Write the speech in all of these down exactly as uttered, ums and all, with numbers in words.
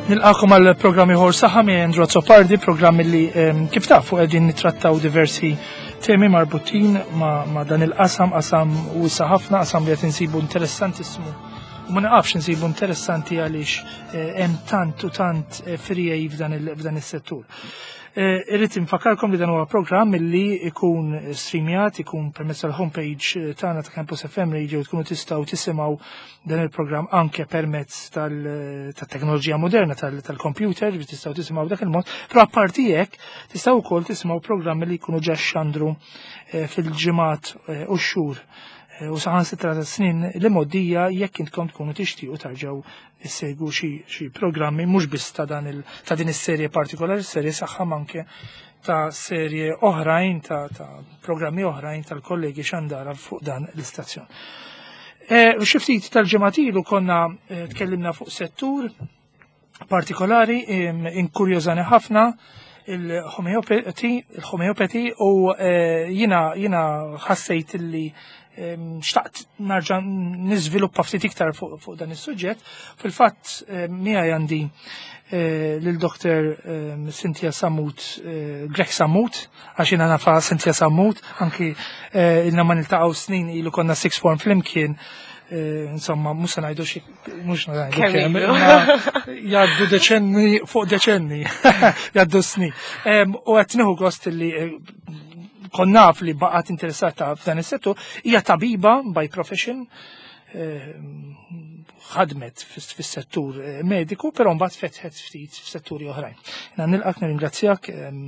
Nilqagħkom għal programm ieħor Saħħa minn Andrew Azzopardi, programm li em, kif tafu qegħdin nittrattaw diversi temi marbutin ma', ma dan il-qasam, qasam wiesa' ħafna, qasam li qed insibu interessantissmu. U ma naqafx insibu interessanti għaliex eh, hemm tant u tant eh, friegħi f'dan il- f'dan is-settur. Eh, Irrid infakarkom li dan huwa programm li ikun streamjat, ikun permezz tal-homepage eh, tagħna ta' Campus F M Radio, tkunu tistgħu tisimgħu dan il-programm anke permezz tal-teknoloġija moderna tal-computer, biex tistgħu tisimgħu dak il-mod, però apparti hekk tistgħu wkoll tisimgħu programmi li jkunu ġa xandru eh, fil-ġimgħat eh, u x-xhur eh, u saħansitra ta' snin li mgħoddija, jekk intkom tkunu tixtiequ tarġgħu issegwu xi xi programmi mhux biss ta' dan il ta' din is-serje partikolari, serje Saħħa, anke ta' serje oħrajn ta', ta' programmi oħrajn tal-kollegi xandara fuq dan l-istazzjon. Eh, Xi ftit tal-ġimgħat ilu konna eh, tkellimna fuq settur partikolari em, inkurjożani ħafna, il-homeopathy, il-homeopathy u eh, jina jina ħassejt li em, xtaqt narġa' niżviluppa ftit iktar fuq fuq dan is-suġġett. Fil-fatt eh, miegħi għandi eh, lil Doktor em, Cynthia Samut, eh, Grech Samut, għax jiena nafha Cynthia Samut, anki eh, ilna ma niltaqgħu snin, ilu konna sixth form flimkien, eh, insomma, mhux se ngħidu xi, mhux ngħidu kemm kemm, ilu. imma jgħaddu deċenni fuq deċenni, jgħaddu snin. Em, U qed nieħu gost li eh, kont naf li baqgħet interessata f'dan is-settur, hija tabiba by profession, eh, ħadmet fis- fis-settur eh, mediku, però mbagħad fetħet ftit f'setturi oħrajn. Jiena nilqak, nirringrazzjak, em,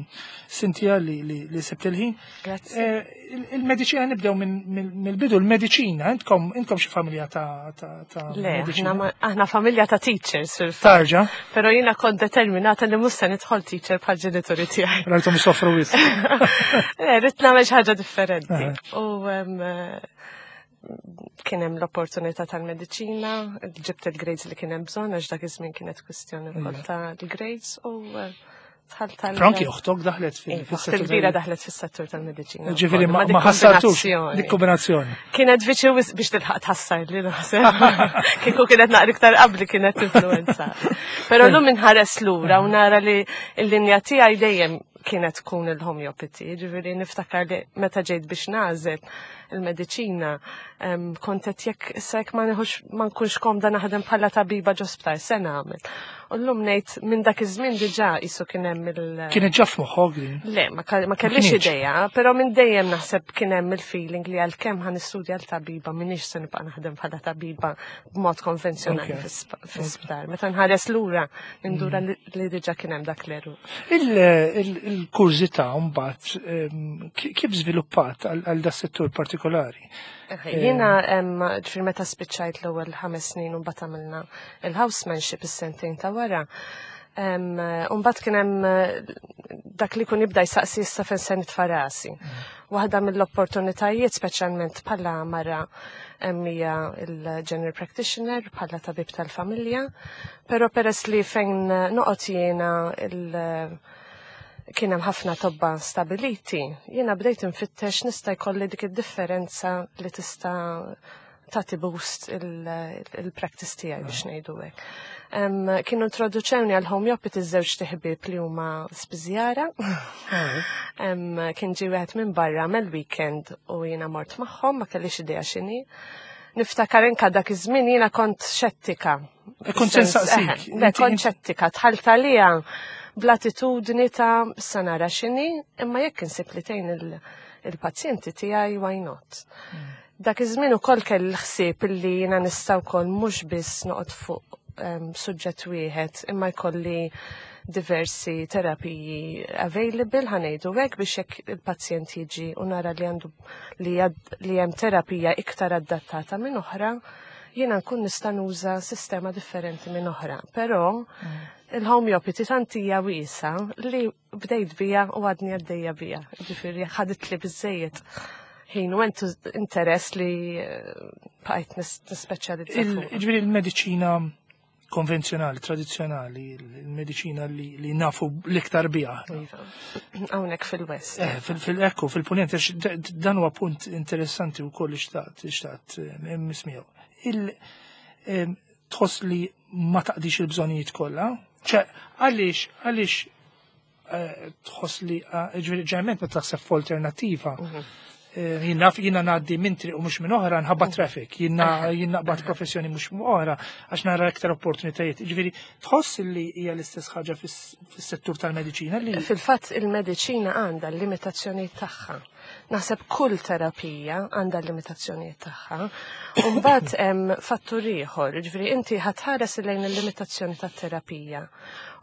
Cynthia, li, li, li sibt il-ħin. Grazzi. Eh, il- Il-mediċina, nibdew minn- mill- mill-bidu, il-mediċina, intkom intkom xi familja ta' ta' ta' Le, mediċina? aħna ma- aħna familja ta' teachers fil-fatt. Tarġa, Pero jiena kont determinata li mhux se nidħol teacher bħal ġenituri tiegħi. Rajtom soffru wisq. Le, ridt nagħmel xi ħaġa differenti. Eh. U em, eh, kien hemm l-opportunità tal-mediċina, ġibt il-grades li kien hemm bżonn, għax dak iż-żmien kienet kwistjoni wkoll ta' l-grades u eh, dħalt tal- Però anki oħtok daħlet fil- Iva, fis-settur. Il-kbira daħlet fis-settur tal-mediċina Ġifieri wkoll, ma ma dik ma ħassartux kombinazzjoni. dik kombinazzjoni. Kienet viċi wisq biex tilħaq tħassar li naħseb. Kieku kienet naqra iktar qabli kienet influenza. Però llum inħares lura u nara li l-linja tiegħi dejjem kienet tkun il-homeopathy. Ġifieri niftakar li meta ġejt biex nagħżel il-mediċina, em, kont qed jekk issa jekk ma nieħux ma nkunx komda naħdem bħala tabiba ġo sptar se nagħmel. U llum ngħid minn dak iż-żmien diġà qisu kien hemm il- Kienet ġa f'moħħok din. Le, ma, ka- ma kellix kienx. ideja, pero minn dejjem naħseb kien hemm il-feeling li għalkemm ħa nistudja l-tabiba, minix se nibqa' naħdem bħala tabiba b'mod konvenzjonali Ok. fis- fis-sptar. Meta nħares lura, nindura li li diġà kien hemm dak l-eru. Il- il- Il-kurżità mbagħad em, ki- kif żviluppat għal għal da settur partikolari? Jiena em, ġifieri meta spiċċajt l-ewwel ħames snin u mbagħad għamilna il-housemanship is-sentejn ta' wara. Em, U mbagħad kien hemm eh, dak li kun jibda jsaqsi issa fejn se nitfa' rasi. Waħda mill-opportunitajiet, speċjalment bħala mara, em, hija il-general practitioner, bħala tabib tal-familja, però peress li fejn noqgħod jiena il- kien hemm ħafna tobba stabiliti, jiena bdejt infittex nista' jkolli dik id-differenza li tista' tagħti boost il-practice tiegħi, biex ngħidu hekk. Em, Kienu introduċewni għal homeopathy żewġ ħbieb li huma spiżjara. Em, Kien ġie wieħed minn barra mel-weekend u jiena mort magħhom, ma kellix idea x'inhi. Niftakar inka dak iż-żmien jiena kont xettika. E kont se nsaqsik. Eħe, le, Inti- kont xettika, dħalt għalija bl-attitudni ta' sa nara x'inhi, imma jekk insib li tgħin il- il-pazjenti tiegħi, why not? Dak iż-żmien ukoll kelli l-ħsieb illi jiena nista' wkoll mhux biss noqgħod fuq em, suġġett wieħed, imma jkolli diversi terapiji available, ħa ngħidu hekk, biex jekk il-pazjent jiġi u nara li għandu li, għad- li hemm terapija iktar adattata minn oħra, jiena nkun nista' nuża sistema differenti minn oħra. Però il-homeopathy tant hija wiesa li bdejt bija u għadni għaddejja bija. Ġifieri ħadit li biżejjed ħin u entu interess li eh, bqajt nis- nispeċjalizza Il- fuqha. Ġifieri il-mediċina konvenzjonali, tradizzjonali, il-mediċina li, li nafu l-iktar biha. Iva. Hawnhekk fil-West. Eh, fil- fil-ekku, fil-punent, għax d- d- dan huwa punt interessanti u koll xtaqt, xtaqt eh, mismijaw. Il, em, tħoss li ma taqdix il-bżonijiet kollha, ċe, għaliex, għaliex eh, tħoss li, eh, ġifieri ġeneralment meta taħseb f'alternativa, eh, jiena jiena ngħaddi minn triq u mhux minn oħra nħabba traffic, jiena jiena naqbad professjoni mhux minn oħra għax nara iktar opportunitajiet. Ġifieri tħoss li hija l-istess ħaġa fis- fis-settur tal-mediċina li Fil-fatt il-mediċina għandha l-limitazzjoni tagħha. Naħseb kull terapija għandha l-limitazzjonijiet tagħha. U mbagħad hemm fattur ieħor, jiġifieri inti ħa tħares lejn il-limitazzjoni tat-terapija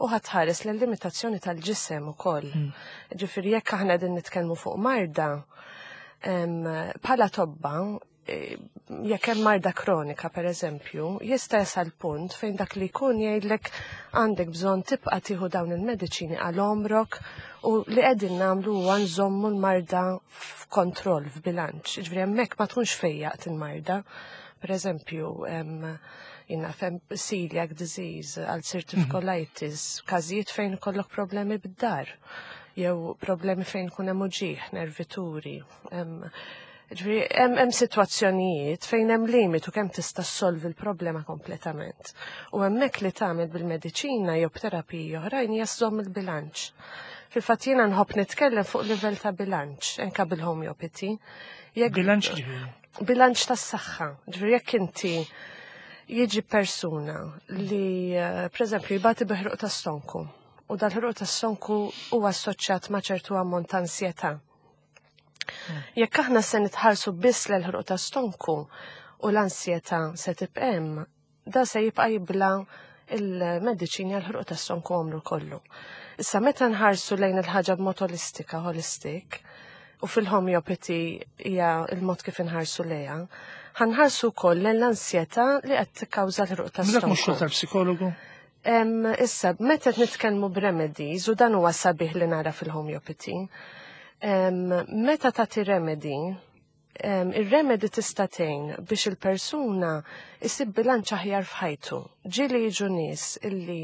u ħa tħares lejn limitazzjoni tal-ġisem ukoll. Ġifieri jekk aħna qegħdin nitkellmu fuq marda, em, bħala tobba, eh, jekk hemm marda kronika per eżempju, jista' jasal punt fejn dak li jkun jgħidlek għandek bżonn tibqa' tieħu dawn il-mediċini għal għomrok u li qegħdin nagħmlu huwa nżommu l-marda f'kontroll, f'bilanċ. Ġifieri hemmhekk ma tkunx fejjaqt il-marda. Per eżempju, em, jiena fem celiac disease, ulcerative colitis, każijiet fejn ikollok problemi bid-dar, jew problemi fejn kun hemm uġigħ, nervituri. Em, Ġifieri, hemm hemm sitwazzjonijiet fejn hemm limitu kemm tista' ssolvi l-problema kompletament. U hemmhekk li tagħmel bil-mediċina jew b'terapiji oħrajn hija żżomm il-bilanċ. Fil-fatt jiena nħobb nitkellem fuq livell ta' bilanċ, anke bil-homeopathy. Jekk bilanċ ġifieri. bilanċ tas-saħħa. Ġifieri jekk inti jiġi persuna li, eh, per eżempju, jibati bi ħruq ta' stonku, u dal-ħruq ta' stonku huwa assoċjat ma' ċertu ammont ta' ansjetà. Jekk aħna se nitħarsu biss l-ħruq ta' stonku u l-ansjetà se tibqa' hemm, da se jibqa' jibla il-mediċini għal ħruq ta' stonku għomru kollu. Issa meta nħarsu lejn il-ħaġa b'mod holistika, holistic, u fil-homeopathy hija il-mod kif inħarsu lejha, ħa nħarsu wkoll lejn l-ansjetà li qed tikkawża l-ħruq ta' Dak mhux xogħol stonku. tal-psikologu? Em, issa, meta qed nitkellmu b'remedies, u dan huwa sabiħ li nara fil-homeopathy, em, meta tagħti remedy, em, ir-remedy tista' tgħin biex il-persuna isib bilanċ aħjar f'ħajtu. Ġieli jiġu nies illi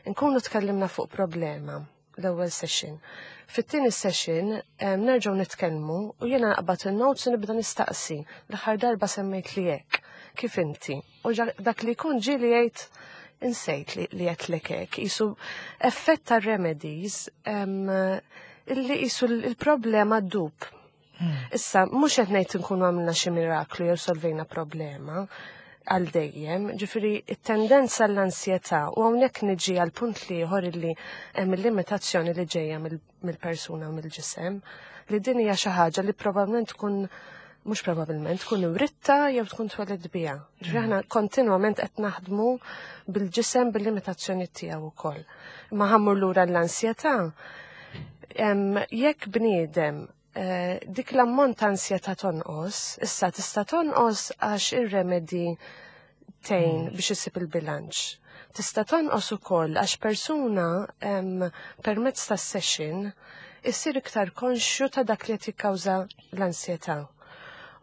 nkunu tkellimna fuq problema l-ewwel session. Fit-tieni session em, nerġgħu nitkellmu u jiena naqbad il-notes u nibda nistaqsi. L-aħħar darba semmejt li hekk. Kif inti? U ġa- dak li jkun ġieli jgħid insejt li, li għedtlek hekk. Jisu effett ta' remedies em, illi jisu l-problema ddub. Issa, mhux qed ngħid nkunu għamilna xi miraklu jew solvejna problema għal dejjem, ġifieri it-tendenza l-ansjetà u hawnhekk niġi għal punt ieħor illi hemm il-limitazzjoni li ġejja mill- mill-persuna u mill-ġisem, li din hija xi ħaġa li probabbilment tkun mhux probabbilment tkun writta jew tkun tweled biha. Ġifieri aħna kontinwament qed naħdmu bil-ġisem bil-limitazzjoni tiegħu wkoll. Imma ħa mmur lura l-ansjetà, em, jekk bniedem eh, dik l-ammont ta' ansjetà tonqos, issa tista' tonqos għax ir-remedy tgħin biex isib il-bilanċ. Tista' tonqos ukoll għax persuna em, permezz ta' session issir iktar konxju ta' dak li qed jikkawża l-ansjetà.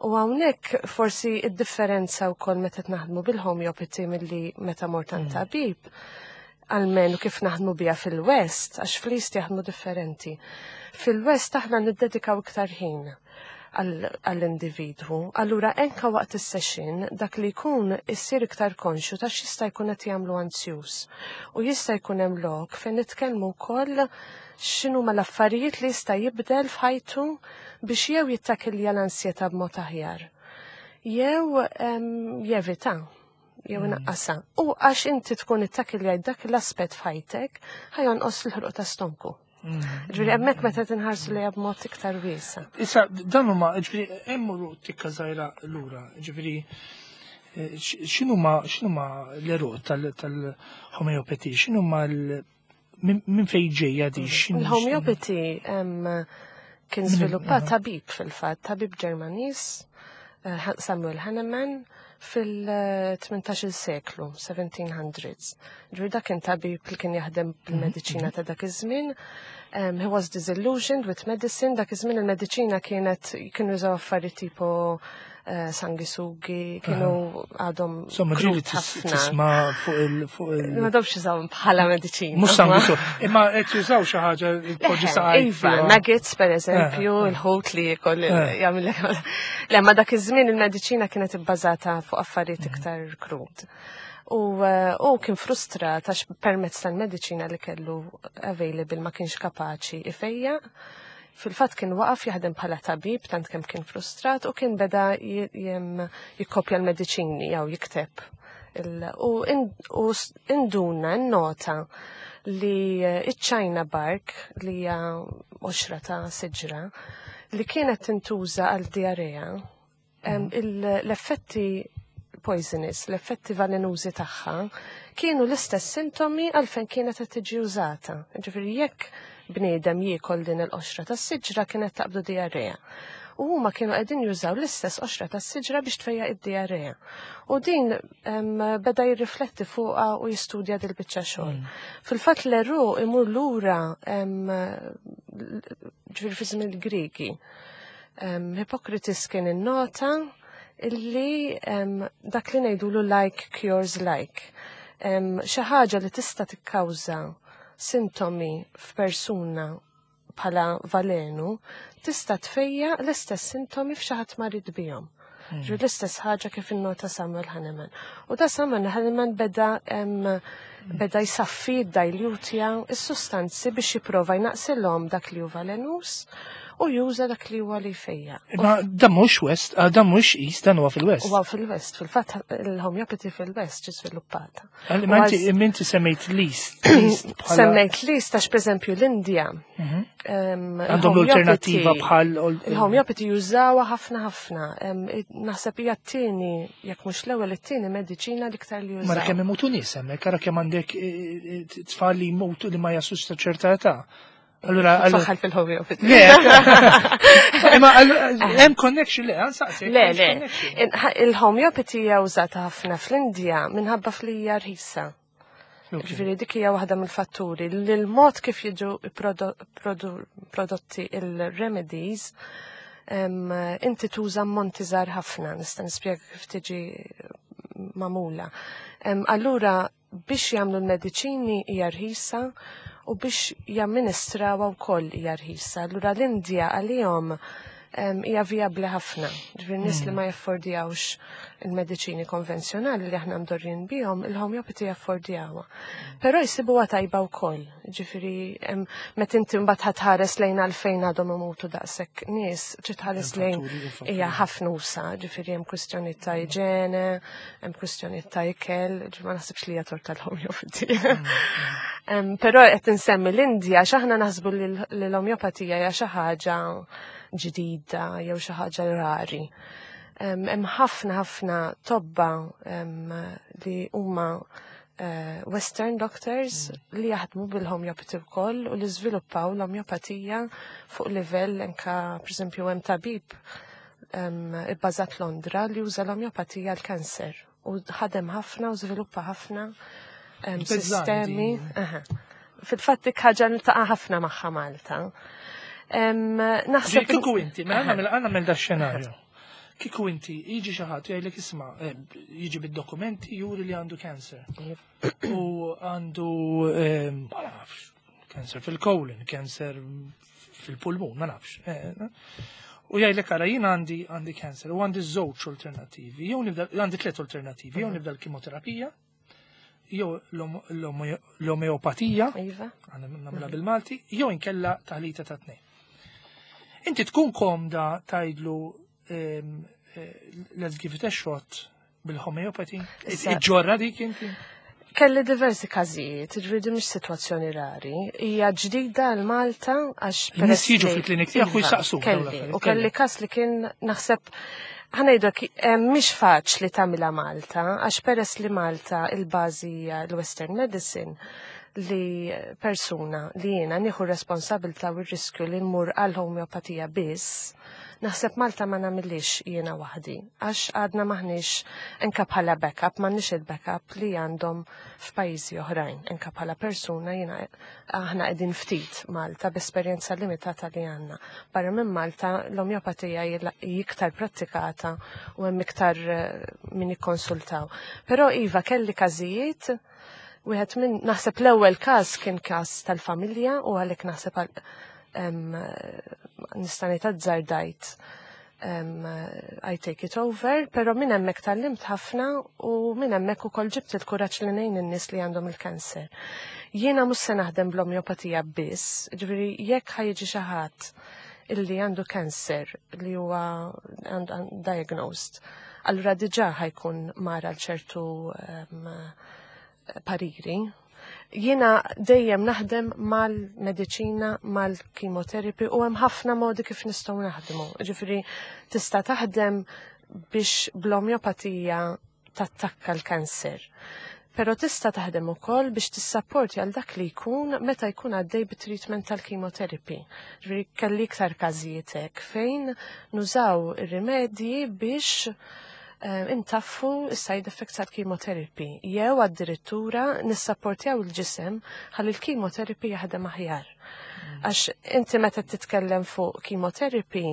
U hawnhekk forsi id-differenza wkoll meta naħdmu bil-homeopathy milli meta mort għand tabib, almenu kif naħdmu biha fil-West, għax fl-East jaħdmu differenti. Fil-West aħna niddedikaw iktar ħin għall-individwu. Allura anka waqt is-session dak li jkun issir iktar konxju ta' x'jista' jkun qed jagħmlu anzjuż. U jista' jkun hemm lok fejn nitkellmu wkoll x'inhuma l-affarijiet li jista' jibdel f'ħajtu biex jew jittakilja l-ansjetà b'mod aħjar. Jew jevita jew mm. naqqasa. U għax inti tkun ittakilja dak l-aspett f'ħajtek, ħa jonqos l-ħruq ta' stonku. Mm. Ġifieri, hemmhekk meta tinħarsu li b'mod iktar wiesa. Issa, dan huma, ġifieri, emmurru tikka żgħira lura, ġifieri, eh, x'inhuma x'inhuma l-għeruq tal-homeopathy, x'inhuma minn fejn ġejja di? Il-homeopathy kien żviluppat tabib fil-fatt, tabib Ġermaniż, eh, Samuel Hahnemann, fil-tmintax-il seklu, seventeen hundreds. Ġifieri dak kien tabib li kien jaħdem bil-mediċina ta' dak iż-żmien. Um, he was disillusioned with medicine. Dak iż-żmien il-mediċina kienet kienu jużaw affarijiet tipo eh, sangisugi, kienu għadhom Insomma, ġieli krut ħafna. Tisma' fuq il fuq il Ma dawx jużawhom bħala mediċina. Mhux sanguisuga. Imma qed jużaw xi ħaġa poġġi saqajk. Iva, fiha. Maggots per eżempju, Eh, eh. il-ħut li jikol Eh. jagħmel. Le, ma dak iż-żmien il-mediċina kienet ibbażata fuq affarijiet iktar krud. U eh, u kien frustrat għax permezz tal-mediċina li kellu available ma kienx kapaċi ifejja. Fil-fatt kien waqaf jaħdem bħala tabib tant kemm kien frustrat u kien beda j- jem- jikkopja l-mediċini jew jikteb. Il- U in- u s- induna, nota li eh, iċ-China bark, li hija qoxra ta' siġra li kienet tintuża għal diarrea, em, il- l-effetti poisonous, l-effetti velenużi tagħha kienu l-istess sintomi għalfejn kienet qed tiġi użata. Ġifieri jekk bniedem jiekol din il-qoxra tas-siġra kienet taqbdu diarrea. U huma kienu qegħdin jużaw l-istess qoxra tas-siġra biex tfejjaq id-diarrea. U din em, beda jirrifletti fuqha u jistudja dil-biċċa xogħol. Fil-fatt l-għeruq imur lura em, ġifieri fi żmien il-Grigi. Um, Hippocrates kien innota illi um, dak li ngħidulu like cures like. Um, xi ħaġa li tista' tikkawża sintomi f'persuna bħala valenu tista' tfejja l-istess sintomi f'xi ħadd marid bihom. Ġifieri l-istess ħaġa kif innota Samuel Hahnemann. U da Samuel Hahnemann beda em, beda jsaffi dilutja is-sustanzi biex jipprova jnaqsilhom dak li hu valenus u juża dak li huwa li jfejja. Imma dan mhux West, ah, dan mhux East, dan huwa fil-West. Huwa fil-West, fil-fatt il-homeopathy fil-West ġi sviluppata. Imma inti imma inti semmejt l-East. L-East bħala- Semmejt l-East għax pereżempju l-Indja. em, Għandhom il-homeopathy- l-alternativa bħal Il-homeopathy jużawha ħafna ħafna. Em, Naħseb hija t-tieni, jekk mhux l-ewwel, it-tieni mediċina l-iktar li Mara jużaw. kemm imutu nies hemmhekk, ara kemm għandek eh, eh, tfal li jmutu li ma jaslux ta' ċerta età. Allura, allura Faħal fil-homeopathy. Le, imma allura, hemm connection, le, għansaqsek. Le, le. Il-homeopathy hija użata ħafna fl-Indja minħabba fli hija rħisa. Ġifieri dik hija waħda mill-fatturi li l-mod kif jiġu prodo- produ- prodotti il-remedies em, inti tuża ammonti żgħar ħafna, nista' nispjega kif tiġi magħmula. Em, Allura biex jagħmlu l-mediċini hija rħisa u biex jamministrawha wkoll hija rħisa. Allura l-Indja għalihom em, hija vijabbli ħafna. Ġifieri nies li ma jaffordjawx il-mediċini konvenzjonali li aħna mdorrin bihom, il-homeopathy jaffordjawha. Però jsibuha tajba wkoll. Ġifieri em, meta inti mbagħad ħares lejn għalfejn għadhom imutu daqshekk nies, trid tħares lejn Fatturi, hija ħafna usa, ġifieri hemm kwistjoni ta' iġene, hemm kwistjoni ta' ikel, ġifieri ma naħsibx li hija tort tal-homeopathy. Em, Però qed insemmi l-Indja għax aħna naħsbu li l- li l-omeopatija hija xi ħaġa ġdida jew xi ħaġa rari. Em, Hemm ħafna ħafna tobba em, li huma eh, Western doctors li jaħdmu bil-homeopathy wkoll u li żviluppaw l-omeopatija fuq livell anka, pereżempju, hemm tabib em, ibbażat Londra li juża l-omeopatija għal kanser u ħadem ħafna u żviluppa ħafna em, Bezzani sistemi. din. Aha. Fil-fatt dik ħaġa niltaqa' ħafna magħha Malta. Em, Naħseb Kieku inti, mela għandna għandna da xenarju. Kieku inti, jiġi xi ħadd jgħidlek, isma', eh, jiġi bid-dokumenti juri li għandu cancer. U għandu, eh, ma nafx, cancer fil-colon, cancer fil-pulmun, ma nafx. eh, U jgħidlek, ara, jien għandi għandi cancer u għandi żewġ alternativi, jew nibda, għandi tliet alternativi, jew nibda l-kimoterapija, jew l-om- l-omo- l-omeopatija, Iva. għandna nagħmilha bil-Malti, jew inkella taħlita ta' tnejn. Inti tkun komda tgħidlu ehm, eh, let's give it a shot bil-homeopathy? Issa- Iġġorra dik inti? Kelli diversi każijiet, ġifieri mhix sitwazzjoni rari. Hija ġdida għal Malta għax In-nies peress jiġu li- fil-klinik tiegħek u Iva, jsaqsuk dawn Kelli, l-affarijiet, u kelli kelli. każ li kien naħseb ħa ngħidlek eh, mhix faċli tagħmilha Malta għax peress li Malta il-bażi hija l-Western Medicine, li persuna li jiena nieħu responsabilità u r-riskju li nmur għal homeopatija biss, Naħseb Malta ma nagħmilix jiena waħdi, għax għadna maħniex enka bħala backup, m'għandniex il-backup li għandhom f'pajjiżi oħrajn. Enka bħala persuna jiena aħna qegħdin ftit Malta b'esperjenza limitata li għandna. Barra minn Malta l-omjopatija hija iktar prattikata u hemm iktar eh, min jikkonsultaw. Però iva, kelli każijiet. Wieħed minn, naħseb l-ewwel każ kien każ tal-familja u għalhekk naħseb għal- em, nista' ngħid azzardajt um, I take it over, pero minn hemmhekk tgħallimt ħafna u minn hemmhekk ukoll ġibt il-kuraġġ li ngħin in-nies li għandhom il-kanser. Jiena mhux se naħdem bl-omjopatija biss, ġifieri jekk ħa jiġi xi ħadd illi għandu kanser li huwa għandu diagnosed, allura diġà ħa jkun mara l ċertu um, pariri. Jiena dejjem naħdem mal-mediċina, mal-chemotherapy u hemm ħafna modi kif nistgħu naħdmu. Ġifieri tista' taħdem biex bl-omjopatija tattakka l-kanser. Pero tista' taħdem ukoll biex tissapporti għal dak li jkun meta jkun għaddej bit-treatment tal-chemotherapy. Ġifieri kelli iktar każijiet hekk fejn nużaw ir-rimedji biex eh, intaffu is-side effects tal-chemotherapy. Jew addirittura nissapportjaw il-ġisem ħalli l-chemotherapy jaħdem aħjar. Għax inti meta titkellem fuq chemotherapy,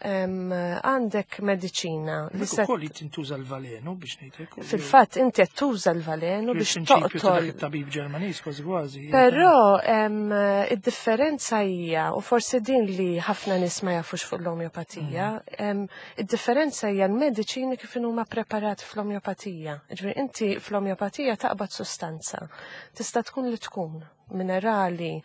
em, għandek mediċina li se Ukoll tintuża l-valenu biex ngħidlek. Fil-fatt inti qed tuża l-valenu biex Il-prinċipju ta' dak toqtol. it-tabib Ġermaniż kważi kważi. Però em, id-differenza hija, u forsi din li ħafna nies ma jafux fuq l-omjopatija, em, id-differenza hija l-mediċini kif huma preparati fl-omjopatija. Ġifieri inti fl-omjopatija taqbad sustanza. Tista' tkun li tkun minerali,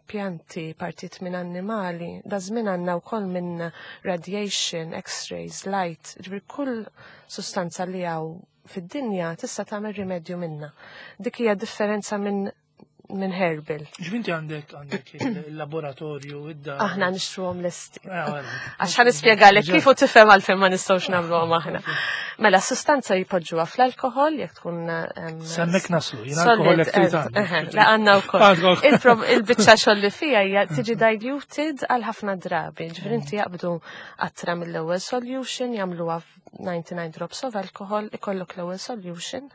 pjanti, partit minn annimali, da żmien għandna wkoll minn radiation, x-rays, light, ġifieri kull sustanza li hawn fid-dinja tista' tagħmel rimedju minna. Dik hija differenza minn minn herbal. Ġvinti għandek għandek il-laboratorju, id-dar. Aħna nixtruhom lesti. Ah, għara. Għax ħa nispjegalek kif u tifhem għalfejn ma nistgħux nagħmluhom aħna. Mela, sustanza jpoġġuha fl-alkohol jekk tkun em, S'hemmhekk naslu, jien solid, alkohol jekk trid eh, għandek. eh, La għandna wkoll. Għandek. Il-prob- Il-biċċa xogħol li fija hija tiġi diluted għal ħafna drabi. Ġifieri inti jaqbdu qatra mill-ewwel solution, jagħmluha ninety-nine drops of alcohol, ikollok l-ewwel solution,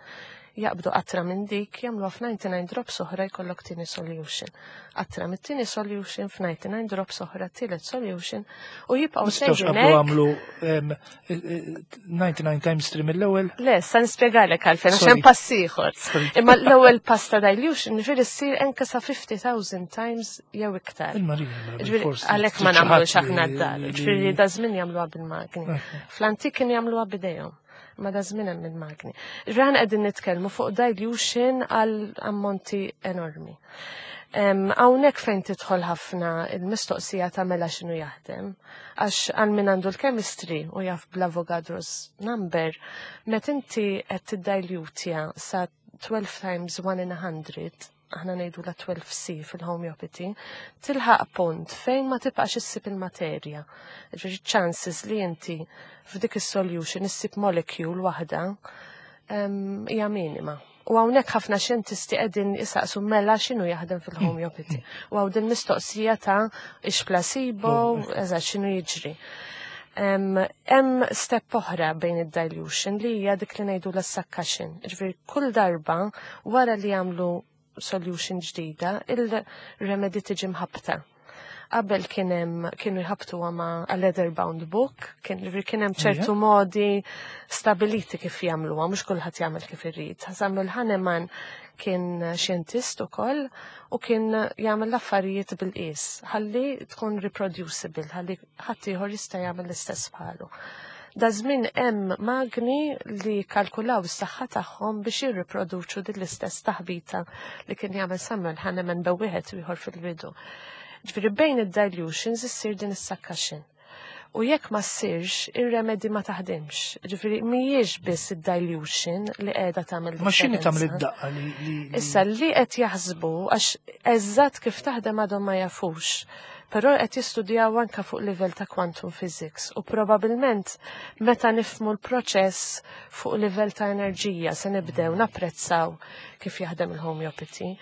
jaqbdu qatra minn dik, jagħmluha f'ninety-nine drops oħra, jkollok tieni solution. Qatra mit-tieni solution f'ninety-nine drops oħra, tielet solution u jibqgħu Mistgħux sejrin qablu hekk. għamlu em, eh, eh, ninety-nine times three mill-ewwel. Le, sa nispjegalek għalfejn, għax Sorry. hemm pass ieħor. Sorry. Imma l-ewwel pass ta' dilution, ġifieri ssir anke sa fifty thousand times jew iktar. Il-Marija, mela Ġifieri bil-forsi għalhekk ma trid xi nagħmlux ħadd aħna li- d-dar. li- Ġifieri da żmien jagħmluha bil-magni. Ok. Fl-antik kien jagħmluha b'idejhom. Ma da żmien hemm il-magni. Ġifieri aħna qegħdin nitkellmu fuq dilution għal ammonti enormi. Em, Hawnhekk fejn tidħol ħafna il-mistoqsija ta' mela x'inhu jaħdem, għax għal min għandu l-chemistry u jaf bl-Avogadro's number, met inti qed tiddilutja sa twelve times one in a hundred, aħna ngħidu la twelve C fil-homeopathy, tilħaq punt fejn ma tibqax issib il-materja. Ġifieri chances li inti f'dik is-solution issib molecule waħda em, hija minima. U hawnhekk ħafna xjentisti qegħdin jisaqsu mela x'inhu jaħdem fil-homeopathy. U hawn din mistoqsija ta' ix placebo, eżatt x'inhu jiġri. Hemm step oħra bejn id-dilution li hija dik li ngħidu la succussion. Ġifieri kull darba wara li jagħmlu solution ġdida, il-remedy tiġi mħabta. Qabel kien hemm kienu jħabtu ma' a leather bound book, kien ġifieri kien hemm ċertu modi stabiliti kif jagħmluha, mhux kulħadd jagħmel kif irid. Samuel Hahnemann kien xjentist ukoll u kien jagħmel l-affarijiet bil-qies, ħalli tkun reproducible, ħalli ħadd ieħor jista' jagħmel l-istess bħalu. Da żmien hemm magni li kalkulaw is-saħħa tagħhom biex jirriproduċu din l-istess taħbita li kien jagħmel Samuel Hahnemann bejn wieħed u ieħor fil-bidu. Ġifieri bejn id-dilutions issir din is-succussion. U jekk ma ssirx, ir-remedy ma taħdimx. Ġifieri mhijiex biss id-dilution li qiegħda tagħmel Ma x'inhi tagħmel differenza. id-daqqa li li li- Issa li qed jaħsbu, għax eżatt kif taħdem għadhom ma jafux, però qed jistudjaw anka fuq livell ta' quantum physics u probabbilment meta nifmu l-proċess fuq livell ta' enerġija se nibdew napprezzaw kif jaħdem il-homeopathy.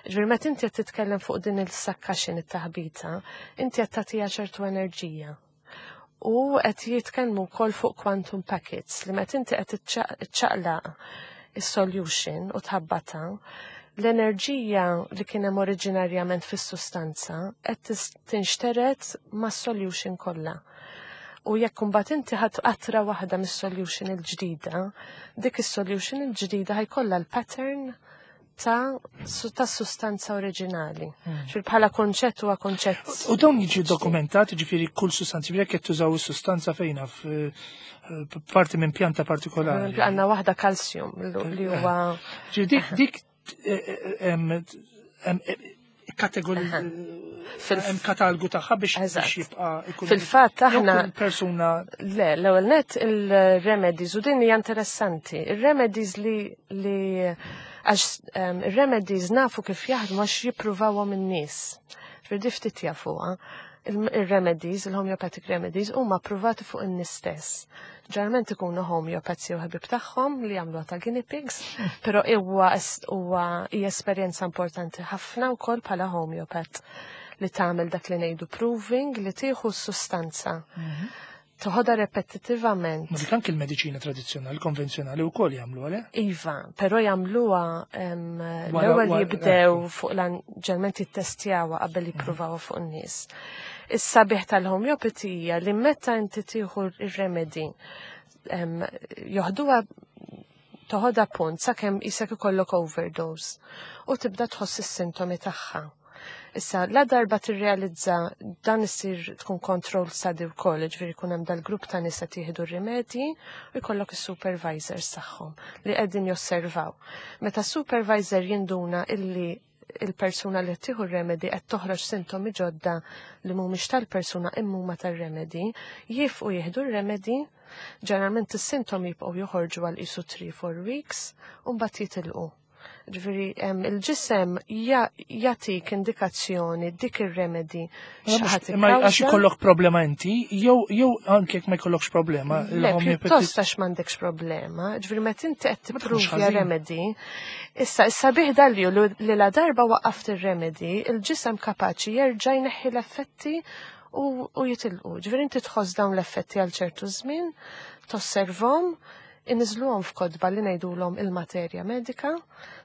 Ġifieri meta inti qed titkellem fuq din il-succussion, it-taħbita, inti qed tagħtiha ċertu enerġija. U qed jitkellmu wkoll fuq quantum packets li meta inti qed iċċaqlaq is-solution u tħabbata, l-enerġija li kien hemm oriġinarjament fis-sustanza qed tinxteret mas-solution kollha. U jekk imbagħad inti ħadt qatra waħda mis-solution il-ġdida, dik is-solution il-ġdida ħa jkollha l-pattern ta' ta' sustanza oriġinali. Hmm. Ġifieri bħala konċett huwa konċett. U dawn jiġi dokumentat, ġifieri kull sustanza, jekk qed tużaw is-sustanza fejna parti minn pjanta partikolari. Għandna waħda calcium li huwa. Dik dik kategori hemm katalgu tagħha biex jibqa' Fil-fatt aħna persuna Le, l-ewwel net il-remedies u din hija interessanti. Il-remedies li li għax il-remedies nafu kif jaħdmu għax jippruvawhom in-nies. Ġifieri ftit jafuha. Il-remedies, il-homeopathic remedies, huma ppruvati fuq in-nies stess. Ġeneralment ikunu homeopaths jew ħabib tagħhom li jagħmlu ta' guinea pigs, però huwa huwa hija esperjenza importanti ħafna wkoll bħala homeopath li tagħmel dak li ngħidu proving li tieħu s-sustanza. Mhm. Toħodha repetitivament. Ma dik anke il-mediċina tradizzjonali, konvenzjonali wkoll jagħmlu għale? Iva, però jagħmluha l-ewwel jibdew fuq ġeneralment jittestjawha qabel mhm. jippruvawha fuq in-nies. Is-sabiħ tal-homeopathy hija li meta inti tieħu ir-remedy joħduha toħodha punt sakemm isek ikollok overdose u tibda tħoss is-sintomi tagħha. Issa, la darba tirrealizza dan isir tkun control study wkoll, ġifieri jkun hemm dal-grupp ta' nisa tieħdu rimedji u jkollok is-supervisors tagħhom li qegħdin josservaw. Meta supervisor jinduna illi il-persuna li tieħu remedy qed toħroġ sintomi ġodda li mhumiex tal-persuna imma huma tar-remedy, jieqfu jieħdu r-remedy, ġeneralment is-sintomi jibqgħu joħorġu għal qisu three four weeks u mbagħad jitilqu. Ġifieri, il-ġisem jatik indikazzjoni dik ir-remedy. Imma għax ikollok problema inti, jew jew anke jekk ma jkollokx problema. Le, pjuttost għax m'għandekx problema. Ġifieri meta inti qed tippruvja remedy, issa issa bih dalju li la darba waqqaft ir-remedy, il-ġisem kapaċi jerġa' jneħħi l-effetti u jitilqu. Ġifieri inti tħoss dawn l-effetti għal ċertu żmien, tosservhom, inniżżluhom f'kotba li ngħidulhom il-materja medika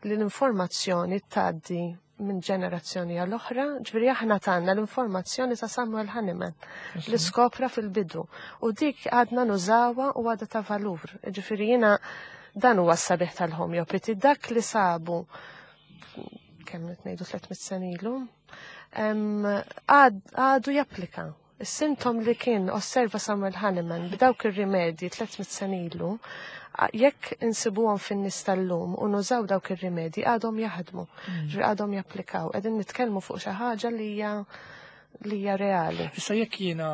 li l-informazzjoni tgħaddi minn ġenerazzjoni għal oħra, ġifieri aħna tagħna l-informazzjoni ta' Samuel Hahnemann li skopra fil-bidu u dik għadna nużawha u għadha ta' valur. Ġifieri jiena dan huwa s-sabiħ tal-homeopathy, dak li sabu kemm ngħidu tliet mitt sena ilu, għadu japplika. Is-sintom li kien osserva Samuel Hahnemann b'dawk ir-rimedji tliet mitt sena ilu, jekk insibuhom fin-nies tal-lum u nużaw dawk ir-rimedji għadhom jaħdmu, mm. ġifieri għadhom japplikaw. Qegħdin nitkellmu fuq xi ħaġa li hija li hija reali. Issa jekk jiena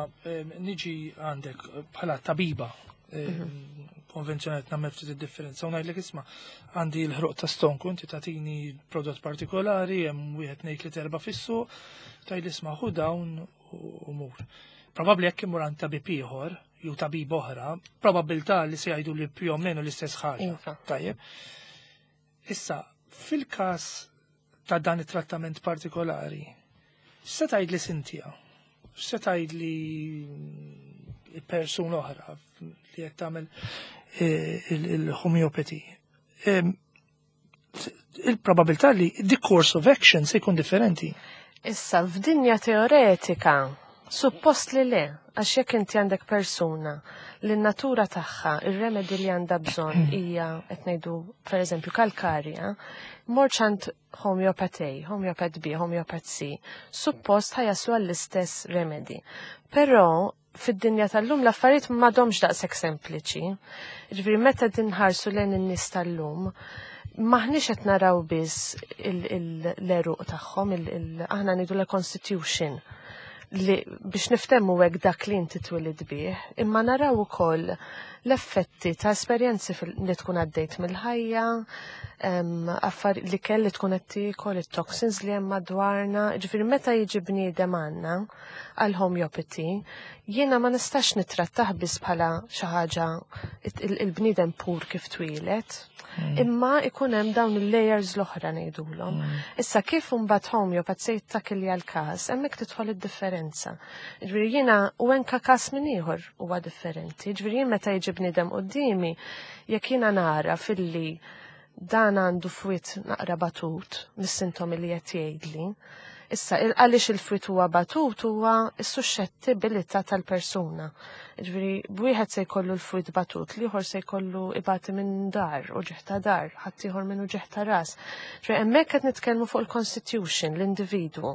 niġi għandek bħala tabiba mhm. konvenzjonali, nagħmel ftit id-differenza, u ngħidlek, "Isma', għandi l-ħruq ta' stonku," inti tagħtini prodott partikolari, hemm wieħed, tnejn, tliet, erba' fis-suq, tgħid, "Isma', ħu dawn u mur." Probabbli jekk imur għand tabib ieħor jew tabib oħra, probabilità li se jgħidu li più o meno l-istess ħaġa. Iva. Tajjeb. Issa, fil-każ ta' dan it-trattament partikolari, se tgħid li Cynthia, se tgħid li persuna oħra li qed tagħmel eh, il-homeopathy? Il-probabilità li the course of action se jkun differenti. Issa, f'dinja teoretika, suppost li le, għax jekk inti għandek persuna li n-natura tagħha, ir-remedy li għandha bżonn hija qed ngħidu pereżempju kalkarja, mort għand homeopath A, homeopath B, homeopath C, suppost ħa jaslu għall-istess remedy. Però fid-dinja tal-lum l-affarijiet m'għadhomx daqshekk sempliċi. Ġifieri meta dinħarsu lejn in-nies tal-lum, maħniex qed naraw biss l-għeruq tagħhom, aħna ngħidu la constitution li biex niftemmu hekk dak li inti twilid bih, imma naraw ukoll l-effetti ta' esperjenzi li tkun għaddejt mill-ħajja, Affar li kelli tkun qed tiekol, it-toxins li hemm madwarna, ġifieri meta jiġi bniedem għandna għal homeopathy, jiena ma nistax nittrattah biss bħala xi ħaġa il-bniedem pur kif twieled, mm. imma ikun hemm dawn il-layers l-oħra ngħidulhom. Mm. Issa kif imbagħad homeopath se jittakilja l-każ, hemmhekk tidħol id-differenza. Ġifieri jiena u anka każ minn ieħor huwa differenti. Ġifieri jien meta jiġi bniedem quddiemi, jekk jiena nara filli dan għandu fwied naqra batut mis-sintomi li qed jgħidli. Issa, għaliex il-fwied huwa batut huwa s-suscettibilità tal-persuna. Ġifieri, b'wieħed se jkollu l-fwied batut, l-ieħor se jkollu ibati minn dahar u uġigħ ta' dahar, ħaddieħor minn uġigħ ta' ras. Ġifieri, hemmhekk qed nitkellmu fuq il-constitution, l-individwu.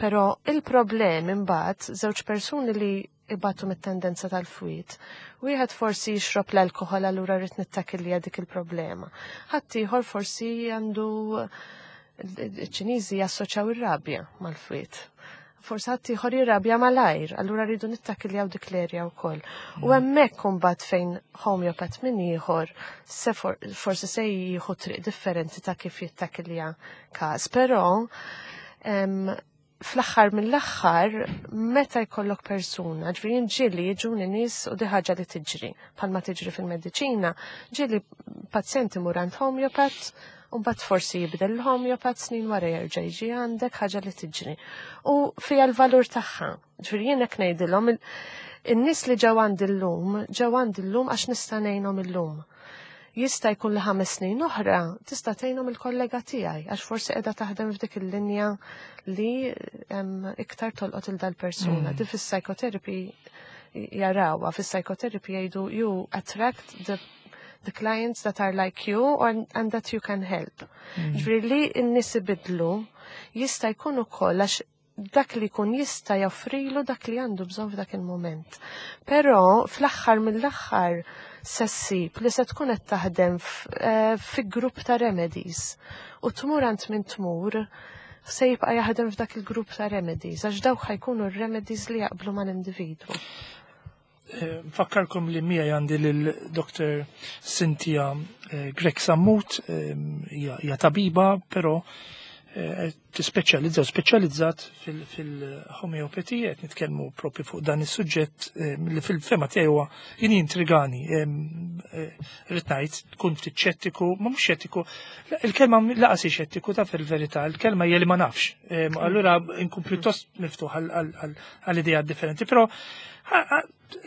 Però il-problem imbagħad żewġ persuni li ibatu mit-tendenza tal-fwied. Wieħed forsi jixrob l-alkohol, allura rrid nittakilja dik il-problema. Ħaddieħor forsi għandu, iċ-Ċiniżi jassoċjaw ir-rabja mal-fwied. Forsi ħaddieħor jirrabja malajr, allura rridu nittakiljaw dik l-erja wkoll. U mm. hemmhekk imbagħad fejn homeopath minn ieħor se forsi se jieħu triq differenti ta' kif jittakilja każ, però fl-aħħar mill-aħħar meta jkollok persuna, ġifieri ġieli jiġuni nies u di ħaġa li tiġri, bħalma tiġri fil-mediċina, ġieli pazjenti imur għand homeopath, u mbagħad forsi jibdel l-homeopath, snin wara jerġa' jiġi għandek, ħaġa li tiġri. U fija l-valur tagħha. Ġifieri jien hekk ngħidilhom, in-nies li ġew għandi llum, ġew għandi llum għax nista' ngħinhom illum. Jista' jkun li ħames snin oħra tista' tgħinhom il-kollega tiegħi għax forsi qiegħda taħdem f'dik il-linja li iktar tolqot il dal-persuna. Mm. Di fis-psychotherapy jarawha, fis-psychotherapy jgħidu you attract the the clients that are like you and, and that you can help. Mm. Ġifieri li n-nies ibidlu jista' jkun ukoll għax dak li jkun jista' joffrilu dak li għandu bżonn f'dak il-moment. Però fl-aħħar mill-aħħar se ssib li se tkun qed taħdem eh, fi grupp ta' remedies u tmur għand min tmur se jibqa' jaħdem f'dak il-grupp ta' remedies għax dawk ħa jkunu r-remedies li jaqblu mal-individwu. Eh, nfakkarkom li miegħi għandi lil Doctor Cynthia eh, Grech Sammut, hija tabiba, però tispeċjalizza u speċjalizzat fil-homeopatija, qed nitkellmu propju fuq dan is-suġġett li fil-fehma tiegħi huwa jien intrigani. Rrid ngħid tkun ftit xettiku, ma mhux xettiku, il-kelma lanqas hi xettiku ta' fil-verità, il-kelma hija li ma nafx. Allura nkun pjuttost miftuħ għal idea differenti, però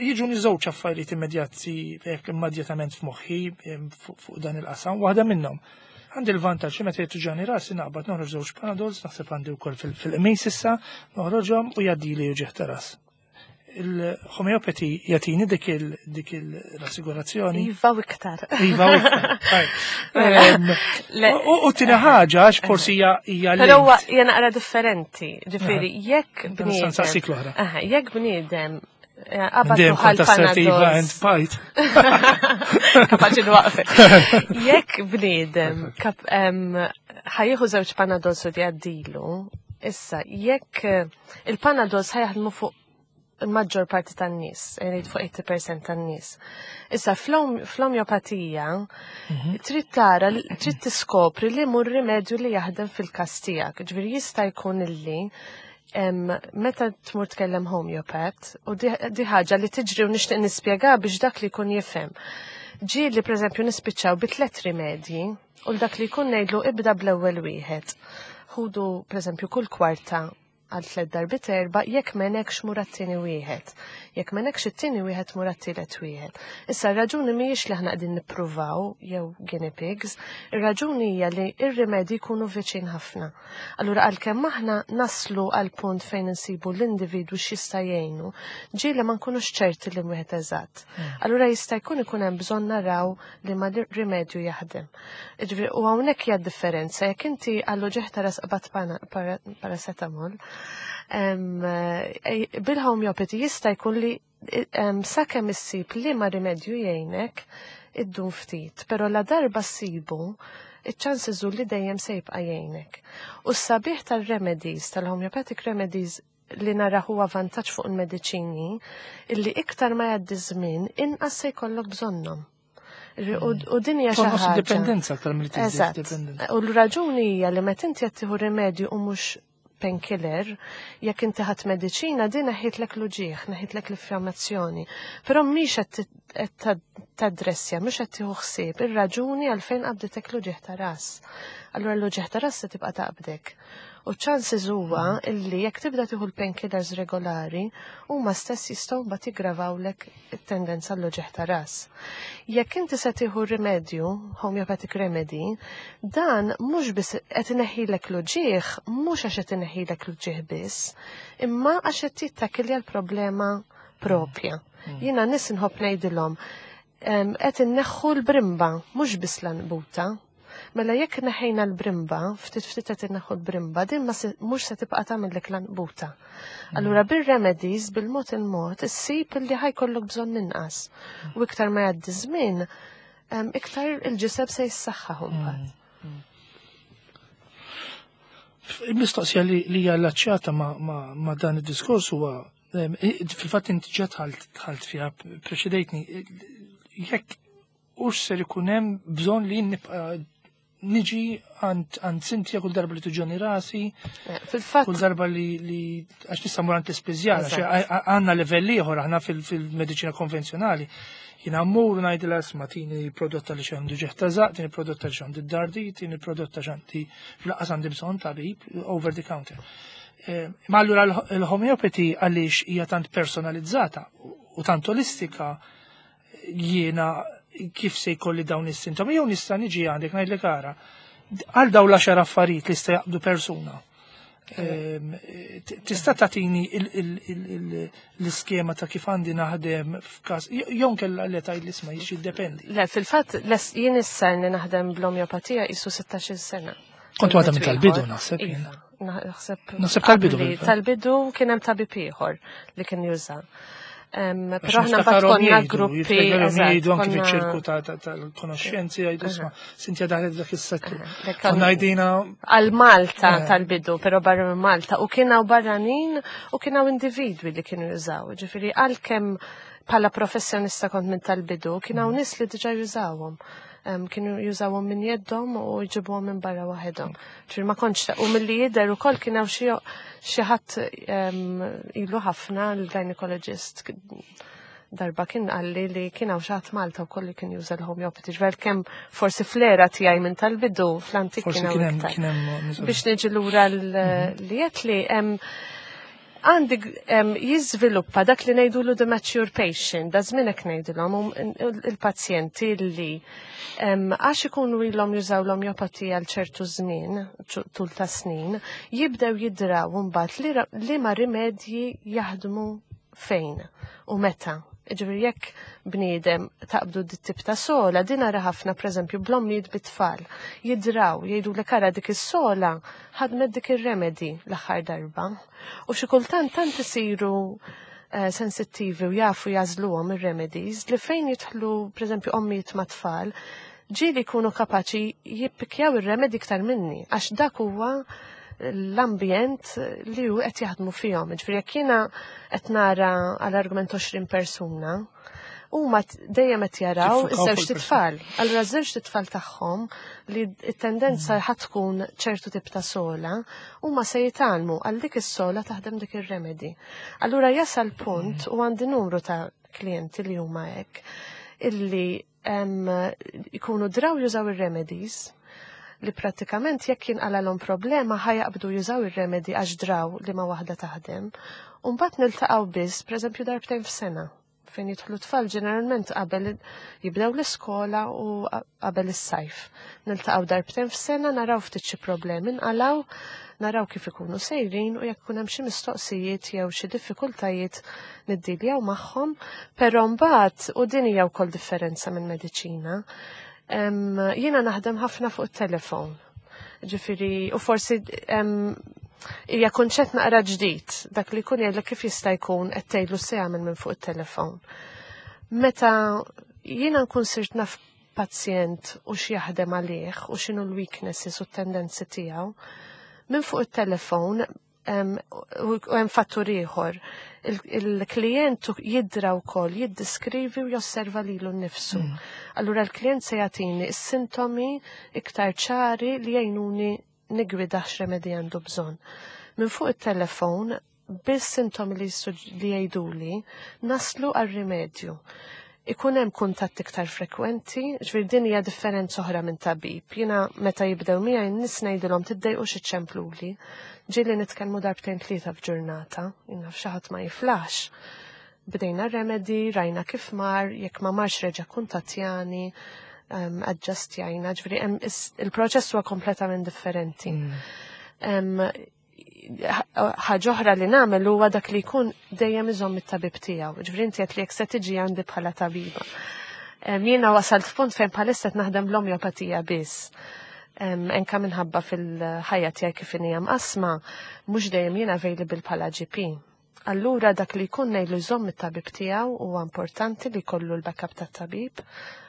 jiġuni żewġ affarijiet immedjati immedjatament f'moħħi fuq dan il-qasam. Waħda minnhom, għandi l-vantaġġ li meta jtuġani rasi naqbad noħroġ żewġ Panadols, naħseb għandi wkoll fil-qmis issa, noħroġhom u jgħaddili uġigħ ta' ras. Il-homeopathy jagħtini dik dik il-rassigurazzjoni? Iva u iktar. Iva u iktar. U t-tieni ħaġa, għax forsi hija hija Però huwa hija naqra differenti. Ġifieri, jekk bniedem. Saqsik l-oħra. Jekk bniedem Dejjem kont assertiva and fight. Kapaċi nwaqfek. Jekk bniedem ħa jieħu żewġ Panadols u jgħaddilu, issa jekk eh, il-Panadols ħa jaħdmu fuq il-maġġor parti tan-nies, jgħid fuq tmenin fil-mija tan-nies. Issa fl-omeopatija mhm. trid tara, trid tiskopri li mur rimedju li jaħdem fil-każ tiegħek. Ġifieri jista' jkun illi meta tmur tkellem homeopath, u di ħaġa li tiġri u nixtieq nispjega biex dak li jkun jifhem. Ġieli pereżempju nispiċċaw bi tliet rimedji u dak li jkun ngħidlu ibda bl-ewwel wieħed. Ħudu pereżempju kull kwarta għal tliet darbit erba, jekk m'għenekx mur għat-tieni wieħed. Jekk m'għenekx it-tieni wieħed, mur għat-tielet wieħed. Issa r-raġuni mhijiex li aħna qegħdin nippruvaw jew guinea pigs, ir-raġuni hija li ir-rimedji jkunu viċin ħafna. Allura għalkemm aħna naslu għal punt fejn insibu l-individwu x'jista' jgħinu, ġieli ma nkunux ċerti li wieħed eżatt. Hmm. Allura jista' jkun ikun hemm bżonn naraw li ma rimedju jaħdem. Ġifieri u hawnhekk hija differenza jekk inti għal uġigħ ta' ras qbadt paracetamol, eh, bil-homeopathy jista' jkun li sakemm issib li ma rimedju jgħinek iddum ftit, però la darba ssibu, iċ-chances li dejjem se jibqa' jgħinek. U s-sabiħ tal-remedies, tal-homeopathic remedies li nara huwa vantaġġ fuq il-mediċini, illi iktar ma jgħaddi żmien inqas se jkollok bżonnhom. U din hija xi ħaġa. Dipendenza aktar milli dipendenza. U l-raġuni hija li meta inti qed tieħu rimedju u mhux painkiller, jekk inti ħadt mediċina din neħħitlek l-uġigħ, neħħitlek l-infjammazzjoni. Però mhix qed tadressja, mhux qed tieħu ħsieb ir-raġuni għalfejn qabditek l-uġigħ ta' ras. Allura l-uġigħ ta' ras se tibqa' taqbdek. U chances huwa illi jekk tibda tieħu l-painkillers regolari, huma stess jistgħu mbagħad jiggravawlek it-tendenza l-uġigħ ta' ras. Jekk inti se tieħu rimedju, homeopathic remedy, dan mhux biss qed ineħħilek l-uġigħ, mhux għax qed ineħħilek l-uġigħ biss, imma għax qed jittakilja l-problema propja. Mm. Jiena nies inħobb ngħidilhom qed inneħħu l-brimba, mhux biss l-għanqbuta. Mela jekk neħejna l-brimba, ftit ftit qed inneħħu l-brimba, din mhux se tibqa' tagħmellek l-għanqbuta. Allura bir-remedies bil-mod il-mod issib li ħa jkollok bżonn inqas. U iktar ma jgħaddi żmien, iktar il-ġisem se jissaħħaħ imbagħad. Il-mistoqsija li hija allaċċjata ma' dan id-diskors huwa fil-fatt inti ġa dħalt fiha preċedejtni, jekk hux ser ikun hemm bżonn li nibqa' niġi għand Cynthia kull darba li tuġgħani rasi, fil-fatt kull darba li għax nista' mmur għand l-ispiżjar, għandna livell ieħor aħna fil-mediċina konvenzjonali. Jiena mmur ngħidilha isma' tini prodotta li x'għandu ġieħ ta' żaqq, tini prodotta li x'għandi d-dardi, tini prodotta x'għandi fl-aqqas għandi bżonn tabib over the counter. Ma allura l-homeopathy għaliex hija tant personalizzata u tant olistika, jiena kif se jkolli dawn is-sintomi, jew nista' niġi għandek ngħidlek ara għal dawn l-għaxar affarijiet li jista' jaqbdu persuna. Tista' tagħtini l-iskema ta' kif għandi naħdem f'każ jew nkella li tgħid l-isma' jiddependi. Le, fil-fatt jien issa li naħdem bl-omeopatija isu sittax-il sena. Kont waħda minn tal-bidu naħseb jien. Naħseb Naħseb tal-bidu. Tal-bidu kien hemm tabib ieħor li kien juża. Però aħna mbagħad konna gruppi. Jgħidu anki fiċ-ċirku tal-konoxxenzi jgħidu isma' Cynthia daħlet dak is-settur. Konna għajdina għal Malta tal-bidu, però barra minn Malta u kien hawn barranin u kien hawn individwi li kienu jużaw. Ġifieri għalkemm bħala professjonista kont minn tal-bidu, kien hawn nies li diġà jużawhom. Kienu jużawhom minn jeddhom u jġibuhom minn barra waħedhom. Ġifieri ma kontx u milli jidher ukoll kien hawn xi ħadd ilu ħafna l-gynecologist darba kien qalli li kien hawn xi ħadd Malta wkoll li kien juża l-homeopathy. Ġifieri kemm forsi fl-era tiegħi minn tal-bidu fl-antik kien hawn iktar. Biex niġi lura li qed li għandi jiżviluppa dak li ngħidulu the mature patient, da żminek ngħidulhom il-pazjenti li għax ikunu ilhom jużaw l-omeopatija għal ċertu żmien, tul ta' snin, jibdew jidraw mbagħad li ma rimedji jaħdmu fejn u meta. Ġifieri jekk bniedem taqbdu dit-tip ta' sola, din nara ħafna pereżempju bl-ommijiet bit-tfal. Jidraw, jgħidu li kara dik is-sola ħadmet dik ir-remedy l-aħħar darba. U xi kultant tant isiru sensittivi u jafu jażluhom ir-remedies li fejn jidħlu pereżempju ommijiet ma' tfal, ġieli jkunu kapaċi jippikjaw ir-remedy iktar minni, għax dak huwa l-ambjent li hu qed jaħdmu fihom. Ġifieri jekk jiena qed nara għal argument għoxrin persuna, huma dejjem qed jaraw iż-żewġ titfal. Allura ż-żewġ titfal tagħhom li t-tendenza ħadd tkun ċertu tip ta' sola, huma se jitgħallmu għal dik is-sola taħdem dik ir-remedy. Allura jasal punt u għandi numru ta' klijenti li huma hekk illi jkunu draw jużaw ir-remedies li pratikament jekk jinqalalhom problema ħajaqbdu jużaw ir-remedi għax draw li ma waħda taħdem. U mbagħad niltaqgħu biss, pereżempju darbtejn f'sena, fejn jidħlu tfal ġeneralment qabel jibdew l-iskola u qabel is-sajf. Niltaqgħu darbtejn f'sena, naraw ftit xi problemi nqalgħu, naraw kif ikunu sejrin u jekk ikun hemm xi mistoqsijiet jew xi diffikultajiet niddiljaw magħhom, però mbagħad u din hija wkoll differenza minn mediċina. Jiena naħdem ħafna fuq it-telefon. Ġifieri, u forsi hija kunċett naqra ġdid, dak li jkun jgħidlek kif jista' jkun qed tgħidlu se jagħmel minn fuq it-telefon. Meta jiena nkun sirt naf pazjent u x'jaħdem għalih u x'inhu l-weaknesses u t-tendenzi tiegħu, minn fuq it-telefon U hemm fattur ieħor. Il-klient jidra wkoll, jiddiskrivi u josserva lilu nnifsu. Mm. Allura l-klient se jagħtini s-sintomi iktar ċari li jgħinuni niggwida x'remedi għandu bżonn. Minn fuq it-telefon, bis-sintomi li jgħiduli, naslu għal-rimedju. Ikun hemm kuntatt iktar frekwenti, ġifieri din hija differenza oħra minn tabib. Jiena meta jibdew miegħi n-nies ngħidilhom tiddejqux iċċempluli. Ġieli nitkellmu darbtejn tlieta f'ġurnata, jiena f'xi ħadd ma jiflax. Bdejna remedi, rajna kif mar, jekk ma marx reġa' kuntattjani, um, aġġustjajna, ġifieri il-proċess huwa kompletament differenti. Mm. Ħaġa oħra li nagħmel huwa dak li jkun dejjem iżomm it-tabib tiegħu. Ġifieri inti qed li jekk se tiġi għandi bħala tabiba. Jiena wasalt f'punt fejn bħalissa qed naħdem l-omjopatija biss. Anka minħabba fil-ħajja tiegħi kif inhi mqasma, mhux dejjem jiena available bħala G P. Allura dak li jkun ngħidlu jżomm it-tabib tiegħu. Huwa importanti li jkollu l-backup tat-tabib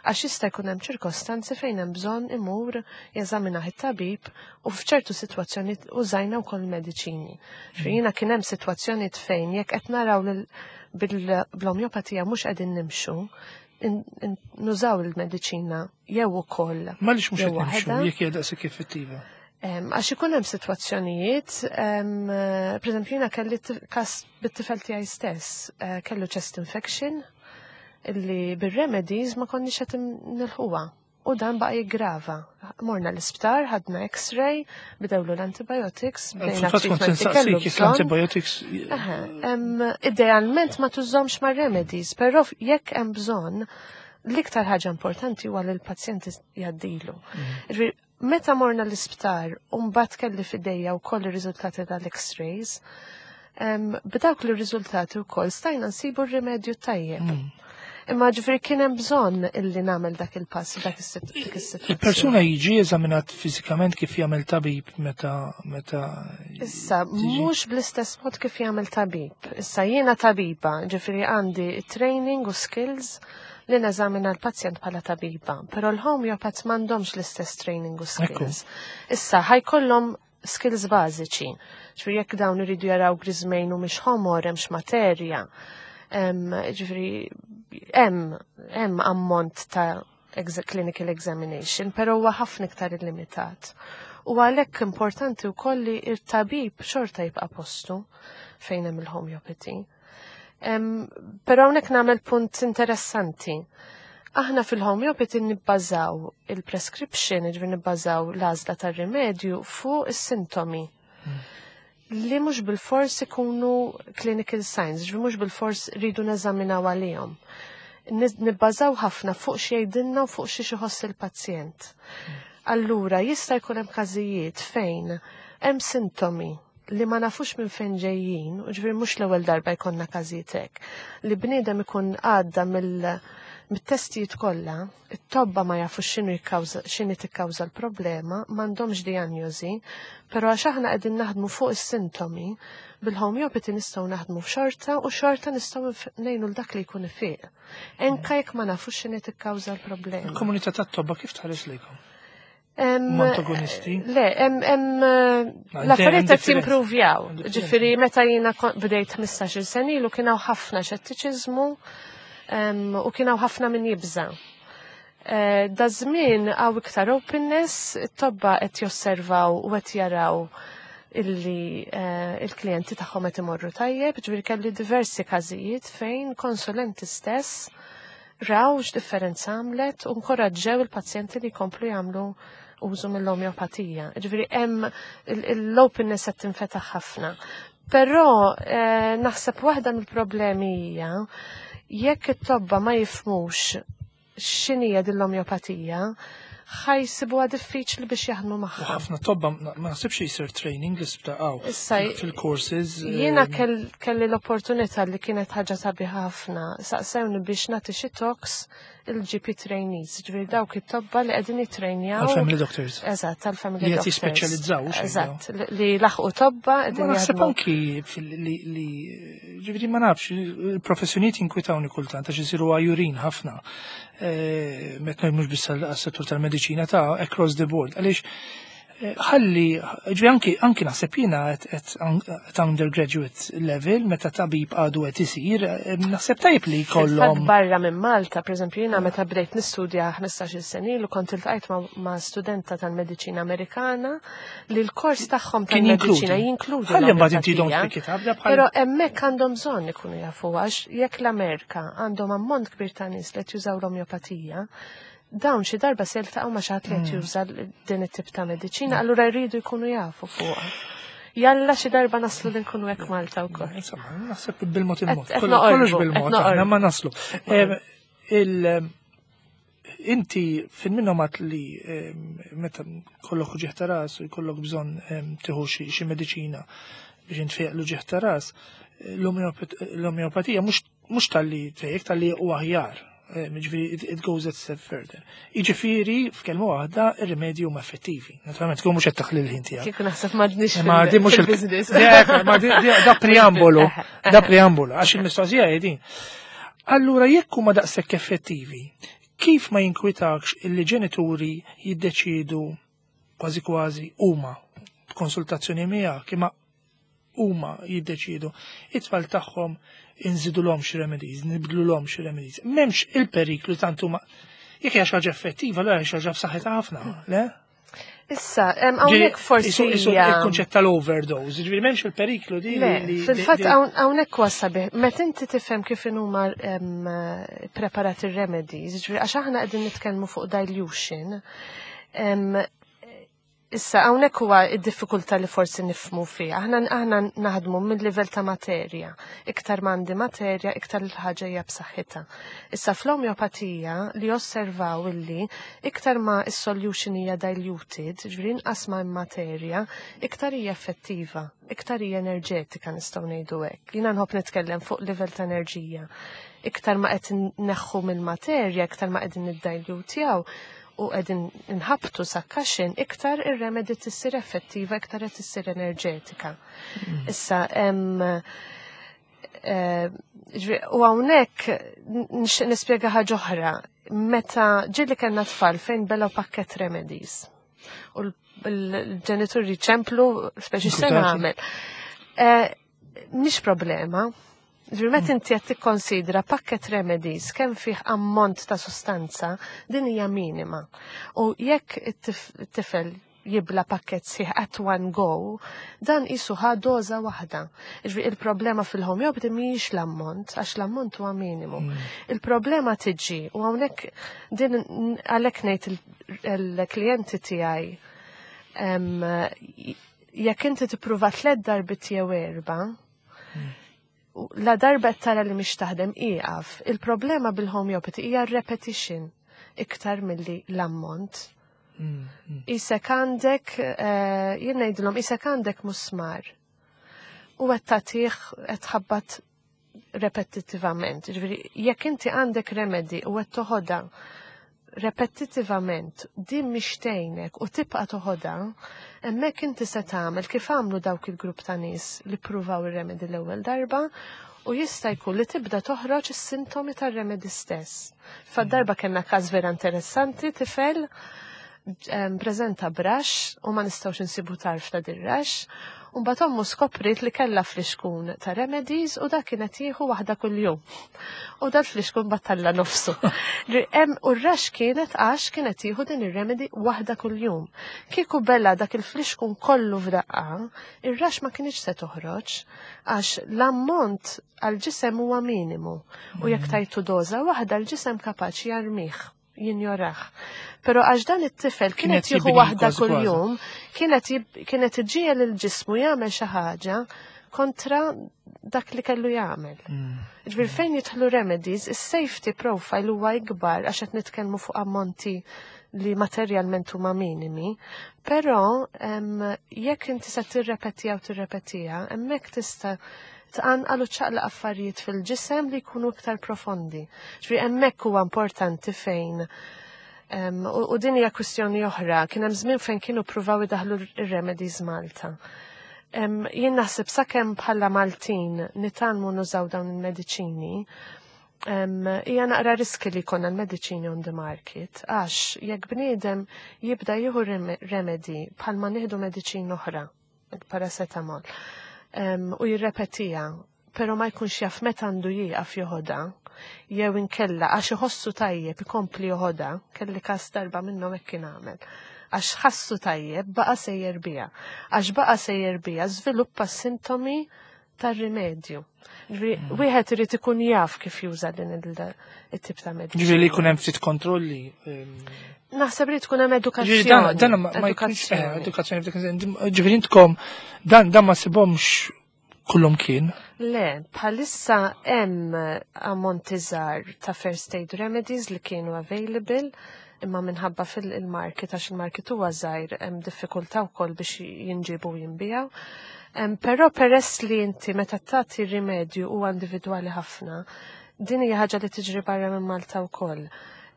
għax jista' jkun hemm ċirkostanzi fejn hemm bżonn imur jeżaminah it-tabib u f'ċertu sitwazzjoni użajna wkoll mediċini. Jiena kien hemm sitwazzjonijiet fejn jekk qed naraw bil-omjopatija mhux qegħdin nimxu, nużaw il-mediċina jew ukoll. Għaliex mhux qed nimxu jekk hija daqshekk effettiva? Għax ikun hemm sitwazzjonijiet, per eżempju, jiena kelli kas bit-tifel tiegħi stess, eh, kellu chest infection illi bir-remedies ma konniex qed nilħuha. U dan baqa jiggrava. Morna l-isptar, ħadna x-ray, bdewlu l-antibiotics, bdejna treatment kellu. L-antibiotics. Idealment ma tużomx ma' remedies, però jekk hemm bżonn, l-iktar ħaġa importanti huwa li l-pazjenti jgħaddilu. Mm. Meta morna l-isptar u mbagħad kelli f'idejja wkoll ir-riżultati tal-X-rays, b'dawk l-riżultati wkoll stajna nsibu r-rimedju tajjeb. Mm. Imma ġifieri kien hemm bżonn illi nagħmel dak il-pass dak is-sitwazzjoni. Il-persuna jiġi eżaminat fiżikament kif jagħmel tabib meta meta Issa mhux bl-istess mod kif jagħmel tabib. Issa jiena tabiba, ġifieri għandi training u skills li neżamina l-pazjent bħala tabiba, però l-homeopaths m'għandhomx l-istess training u skills. Issa ħa jkollhom skills bażiċi. Ġifieri jekk dawn iridu jaraw griżmejn u mhix ħomor, hemmx materja. Ġifieri hemm hemm ammont ta' clinical examination, però huwa ħafna iktar illimitat. U għalhekk importanti wkoll li il-tabib xorta jibqa' postu fejn hemm il-homeopathy. Però hawnhekk nagħmel punt interessanti. Aħna fil-homeopathy nibbażaw il-prescription, ġifieri nibbażaw l-għażla tar-rimedju fuq is-sintomi. Li mhux bil-fors ikunu clinical signs, ġifieri mhux bil-fors rridu neżaminaw għalihom. Nibbażaw ħafna fuq xi jgħidilna u fuq xi iħoss il-pazjent. Allura jista' jkun hemm każijiet fejn hemm sintomi li ma nafux minn fejn ġejjin, u ġifieri mhux l-ewwel darba jkollna każijiet hekk, li bniedem ikun għadda mill mit-testijiet kollha, it-tobba ma jafux x'inhu jikkawża x'inhi tikkawża l-problema, m'għandhomx diagnosi, però għax aħna qegħdin naħdmu fuq is-sintomi, bil-homeopathy nistgħu naħdmu f'xorta u xorta nistgħu ngħinu l dak li jkun ifiq. Anka jekk ma nafux x'inhi tikkawża l-problema. Il-komunità tat-tobba kif tħares lejkom? Antagonisti? Le, hemm l-affarijiet qed jimprovjaw. Ġifieri meta jiena bdejt ħmistax-il sena ilu kien hawn ħafna xettiċiżmu u kien hawn ħafna min jibża. Eh, da żmien hawn iktar openness, it-tobba qed josservaw u qed jaraw illi eh, il-klijenti tagħhom qed imorru tajjeb, ġifieri kelli diversi każijiet fejn konsulenti stess raw x'differenza għamlet u nkoraġġew il-pazjenti li jkomplu jagħmlu użu mill-omeopatija. Ġifieri hemm l-openness qed tinfetaħ ħafna. Però eh, naħseb waħda mill-problemi hija jekk it-tobba ma jifhmux x'inhija din l-omeopatija, ħa jsibuha diffiċli biex jaħdmu magħha. U ħafna tobba ma naħsibx jisir training li sbdaqaw fil-courses. Jiena kelli l-opportunità li kienet ħaġa sabiħa ħafna. Saqsewni biex nagħti xi talks il-G P trainees, ġifieri dawk it-tobba li qegħdin jitrejnjaw. Għal-family doctors. Eżatt, tal-family doctors. Li qed jispeċjalizzaw. Eżatt, li laħqu tobba qegħdin. Naħseb anki li ġifieri ma nafx, il-professjonijiet jinkwitawni kultant għax isiru għajurin ħafna. Eh, meta mhux biss għas-settur tal-mediċina ta' across the board. Għaliex Ħalli, ġifieri anki, anki naħseb jiena at, at, at undergraduate level, meta tabib għadu qed isir, naħseb tajb li jkollhom. Barra minn Malta, per eżempju, jiena meta bdejt nistudja ħmistax-il sena ilu kont iltqajt ma', ma' studenta tal-mediċina Amerikana li l-kors tagħhom tal-mediċina jinkludi. Ħalli mbagħad inti don't pick it up. Però hemmhekk għandhom bżonn ikunu jafu, għax jekk l-Amerika għandhom ammont kbir ta' nies li qed jużaw l-omeopatija, dawn xi darba se jiltaqgħu ma' xi ħadd li qed hmm. juża din it-tip ta' mediċina, allura jridu jkunu jafu fuqha. Jalla xi darba naslu li nkunu hekk Malta wkoll. Insomma, naħseb bil-mod il-mod. Kollox bil-mod, aħna ma naslu. Inti fin minnhom għat li meta kollok uġigħ ta' ras u jkollok bżonn tieħu xi mediċina biex intfejq l-uġigħ ta' ras, l-omeopatija mhux talli tfejjek, talli u aħjar. Ġifieri, it goes a step further. Iġifieri, f'kelma waħda, ir-rimedji huma effettivi. Naturalment, tkun mhux qed taħli l-ħin tiegħek. Kieku naħseb m'għadniex Ma di mhux il-business. Ma da preambolu, da preambolu, għax il-mistoqsija hi din. Allura jekk huma daqshekk effettivi, kif ma jinkwitakx illi ġenituri jiddeċidu kważi kważi huma b'konsultazzjoni miegħek, imma huma jiddeċidu it-tfal tagħhom inżidulhom xi remedies, nibdlulhom xi remedies? M'hemmx il-periklu tant huma, jekk hija xi ħaġa effettiva, allura hija xi ħaġa b'saħħitha ħafna, le? Issa, hawnhekk forsi. Il-kunċett tal-overdose, ġifieri m'hemmx il-periklu di. Le, fil-fatt hawnhekk huwa sabiħ, meta inti tifhem kif huma preparati ir-remedies, ġifieri għax aħna qegħdin nitkellmu fuq dilution. Issa, hawnhekk huwa id-diffikultà li forsi nifhmu fiha. Aħna aħna naħdmu minn livell ta' materja. Iktar m'għandi materja, iktar il-ħaġa hija b'saħħitha. Issa fl-omeopatija li osservaw illi iktar ma is-solution hija diluted, ġifieri inqas ma materja, iktar hija effettiva, iktar hija enerġetika, nistgħu ngħidu hekk. Jiena nħobb nitkellem fuq livell ta' enerġija. Iktar ma qed neħħu mill-materja, iktar ma qegħdin niddilutjaw u qegħdin nħabtu succussion, iktar ir-remedy tissir effettiva, iktar qed tissir enerġetika. Mm. Issa, eh, u hawnhekk nixtieq nispjega ħaġa oħra. Meta ġieli kellna tfal fejn belgħu pakket remedies. U l-ġenituri ċemplu, speċi se nagħmel. Eh, mhix problema. Ġifieri meta inti qed tikkonsidra pakket remedies kemm fih ammont ta' sustanza, din hija minima. U jekk it-tifel jibla pakket sħiħ at one go, dan isu ħa doża waħda. Ġifieri il-problema fil-homeopathy mhijiex l-ammont, għax l-ammont huwa minimu. Mm. Il-problema tiġi, u hawnhekk din għalhekk ngħid il-klijenti tiegħi, jekk inti tippruva tliet darbit jew erba', mm. la darba tara li mhix taħdem, ieqaf. Il-problema bil-homeopathy hija repetition iktar milli l-ammont. Mm, mm. Isek għandek, eh, jien ngħidilhom, isek għandek musmar u qed tagħtih, qed tħabbat repetittivament. Ġifieri jekk inti għandek remedy u qed toħodha repetittivament, din mhix tgħinek u tibqa' toħodha, hemmhekk inti se tagħmel kif għamlu dawk il-grupp ta' nies li ppruvaw ir-remedy l-ewwel darba u jista' jkun li tibda toħroġ is-sintomi tar-remedy stess. Fad-darba kellna każ vera interessanti, tifel preżenta b'rash u ma nistgħux insibu tarf ta' dir-rash. U mbagħad ommu skoprit li kellha flixkun ta' remedies u dak kienet jieħu waħda kuljum. U dal flixkun battalla nofsu. U r-rash kienet għax kienet jieħu din ir-remedy waħda kuljum. Kieku bela' dak il-flixkun kollu f'daqqa, ir-rash ma kienx se toħroġ għax l-ammont għal-ġisem huwa minimu. U jekk tajtu doża waħda, l-ġisem kapaċi jarmih, jinjoraħ. Pero għax dan it-tifel kienet jieħu waħda kuljum, kienet kienet iġiegħel il-ġismu jagħmel xi ħaġa kontra dak li kellu jagħmel. Mm. Ġifieri fejn jidħlu remedies, is-safety profile huwa ikbar għax qed nitkellmu fuq ammonti li materjalment huma minimi, però jekk inti se tirrepetija u tirrepetija, hemmhekk tista' tqanqal u ċaqlaq affarijiet fil-ġisem li jkunu iktar profondi. Ġifieri hemmhekk huwa importanti fejn u din hija kwistjoni oħra, kien hemm żmien fejn kienu pruvaw idaħlu ir-remedies Malta. Jien naħseb sakemm bħala Maltin nitgħallmu nużaw dawn il-mediċini, Hija naqra riski li jkollna l-mediċini on the market, għax jekk bniedem jibda jieħu remedy bħalma nieħdu mediċin oħra, il-paracetamol, u jirrepetija, pero ma jkunx jaf meta għandu jieqaf joħodha, jew inkella għax iħossu tajjeb ikompli joħodha, kelli kas darba minnhom hekk kien għamel. Għax ħassu tajjeb baqa sejjer biha. Għax baqa sejjer biha żviluppa sintomi tar-rimedju. Mm. Wieħed irid ikun jaf kif juża din it-tip ta' mediċina. Ġifieri li jkun hemm ftit kontrolli. Naħseb li tkun hemm edukazzjoni. Dan ma jkunx eh, edukazzjoni. Ġifieri intkom dan dan ma sibhomx kullum kien? Le, bħalissa hemm ammonti żgħar ta' first aid remedies li kienu available imma minħabba fil-market għax il-market huwa żgħir hemm diffikultà wkoll biex jinġibu u jinbijaw. Però peress li inti meta tagħti rimedju huwa individwali ħafna, din hija ħaġa li tiġri barra minn Malta wkoll.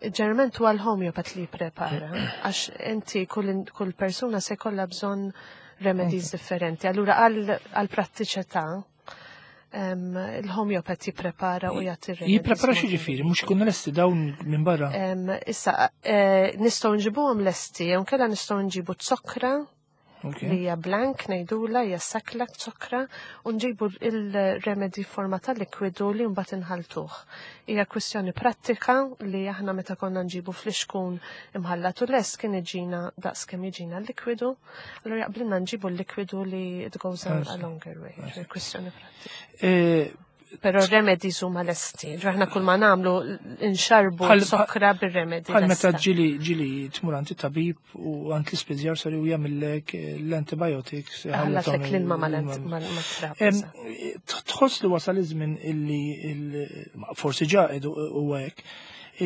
Ġeneralment huwa l-homeopath li jipprepara, għax inti kull, kull persuna se jkollha bżonn remedies differenti. Allura għal prattiċità il-homeopath jipprepara u jagħti remedies. Jipprepara xi ġifieri, mhux ikunu lesti dawn minn barra. Issa, eh, nistgħu nġibuhom lesti, jew kella nistgħu nġibu zokra li hija blank ngħidula hija sakla zokra u nġibu il-remedy forma ta' likwidu li mbagħad inħaltuh. Hija kwistjoni prattika li aħna meta konna nġibu flixkun imħallat u lest kien iġina daqs kemm jiġina l-likwidu, allura jaqblilna nġibu l-likwidu li it goes a, a longer way. Kwistjoni prattika. Eh, Però remedies huma lesti. Aħna kull ma nagħmlu nxarbu sokra bir-remedy. Bħal meta ġili ġili tmur għand tabib u għand l-ispiżjar sari u jagħmillek l-antibiotics. Ħallatlek l-ilma mal-trab. Tħoss li wasal iż-żmien illi forsi ġa huwa hekk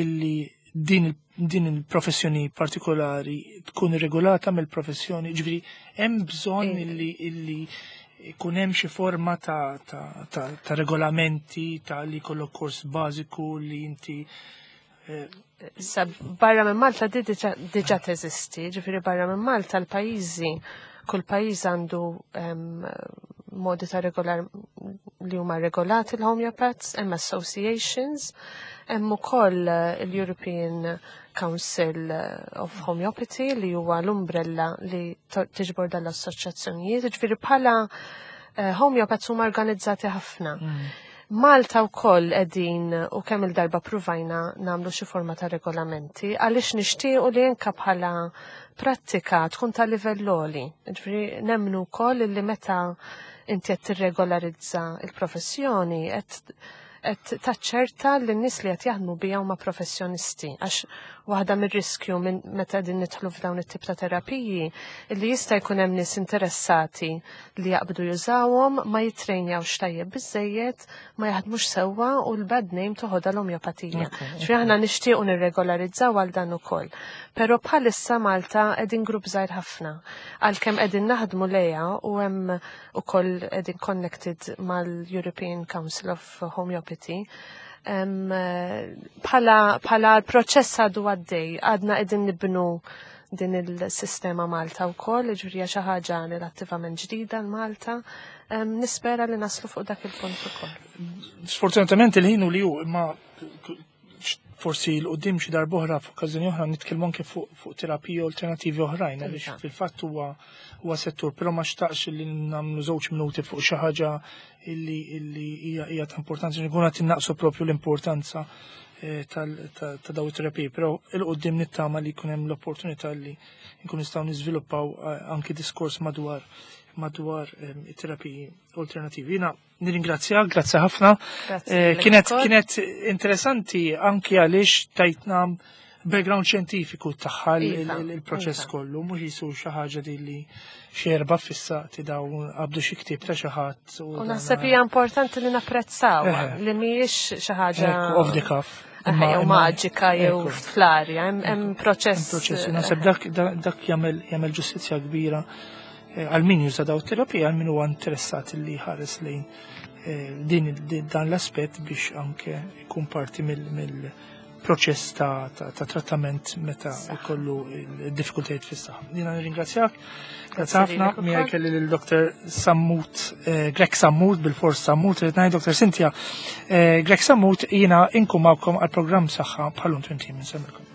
illi din din il-professjoni partikolari tkun regolata mill-professjoni, ġifieri hemm bżonn illi illi ikun hemm xi forma ta', ta, ta, ta regolamenti ta' li jkollok kors bażiku li inti eh, Issa barra minn Malta di diġà teżisti, ġifieri barra minn Malta l-pajjiżi, kull pajjiż għandu modi ta' regolar li huma regolati l-homeopaths, hemm associations, hemm ukoll l-European Council of Homeopathy li huwa l-umbrella li tiġbor dal-assoċjazzjonijiet, ġifieri bħala eh, homeopaths huma organizzati ħafna. Mm. Malta wkoll qegħdin u kemm il-darba pruvajna nagħmlu xi forma ta' regolamenti għaliex nixtiequ li anke bħala prattika tkun ta' livell għoli. Ġifieri nemmnu wkoll li meta inti qed tirregolarizza il-professjoni qed qed taċċerta li n-nies li qed jaħdmu bija huma professjonisti għax waħda mir-riskju minn meta din nidħlu f'dawn it-tip ta' terapiji li jista' jkun hemm nies interessati li jaqbdu jużawhom ma jitrejnjawx tajjeb biżejjed, ma jaħdmux sewwa u l-bad name toħodha l-omjopatija. Ġifieri aħna nixtiequ nirregolarizzaw għal dan ukoll. Però bħalissa Malta qegħdin grupp żgħir ħafna. Għalkemm qegħdin naħdmu lejha u hemm ukoll qegħdin connected mal-European Council of Homeopathy. Bħala bħala l-proċess għadu għaddej, għadna qegħdin nibnu din il-sistema Malta wkoll, ġifieri xi ħaġa relattivament ġdida l-Malta. Nispera li naslu fuq dak il-punt ukoll. Sfortunatament il-ħin u li hu imma forsi l-qoddim xi darba oħra f'okkażjoni oħra nitkellmu anke fuq fuq terapiji alternattivi oħrajn għaliex Iva. fil-fatt huwa huwa settur, però ma xtaqx li nagħmlu żewġ minuti fuq xi ħaġa illi illi hija hija ta' importanza nkunu qed innaqsu propju l-importanza eh, tal- ta' ta' daw it-terapiji, però il-qoddim nittama li jkun hemm l-opportunità li nkun nistgħu niżviluppaw eh, anke diskors madwar madwar eh, it-terapiji alternattivi. Jiena nirringrazzjak, grazzi ħafna. Grazzi Eh, lilek Kienet ukoll. kienet interessanti anki għaliex tajtna background xjentifiku tagħha il- Iva, il- il-proċess iva. kollu, mhux jisu xi ħaġa di li xi erba' fissati dawn qabdu xi ktieb ta' xi ħadd. U naħseb hija importanti li napprezzaw Eħe. li mhijiex xi ħaġa Ekku, off the cuff. Eħe, jew maġika jew ekku. fl-arja, hemm hemm proċess. Proċess, naħseb dak dak dak jagħmel jagħmel ġustizzja kbira eh, għal min juża daw terapija, għal min huwa interessat li ħares lejn eh, din din- dan l-aspett biex anke ikun parti mill mill proċess ta', ta, ta trattament meta jkollu diffikultajiet fis-saħħa. Jiena nirringrazzjak. Grazzi ħafna, miegħi kelli lil Dr. Sammut, eh, Grech Sammut, bil-fors Sammut, irid ngħid Dr. Cynthia. Eh, Grech Sammut, jiena inkun magħkom għal programm Saħħa bħal-lum tmint ijiem. Insellmilkom.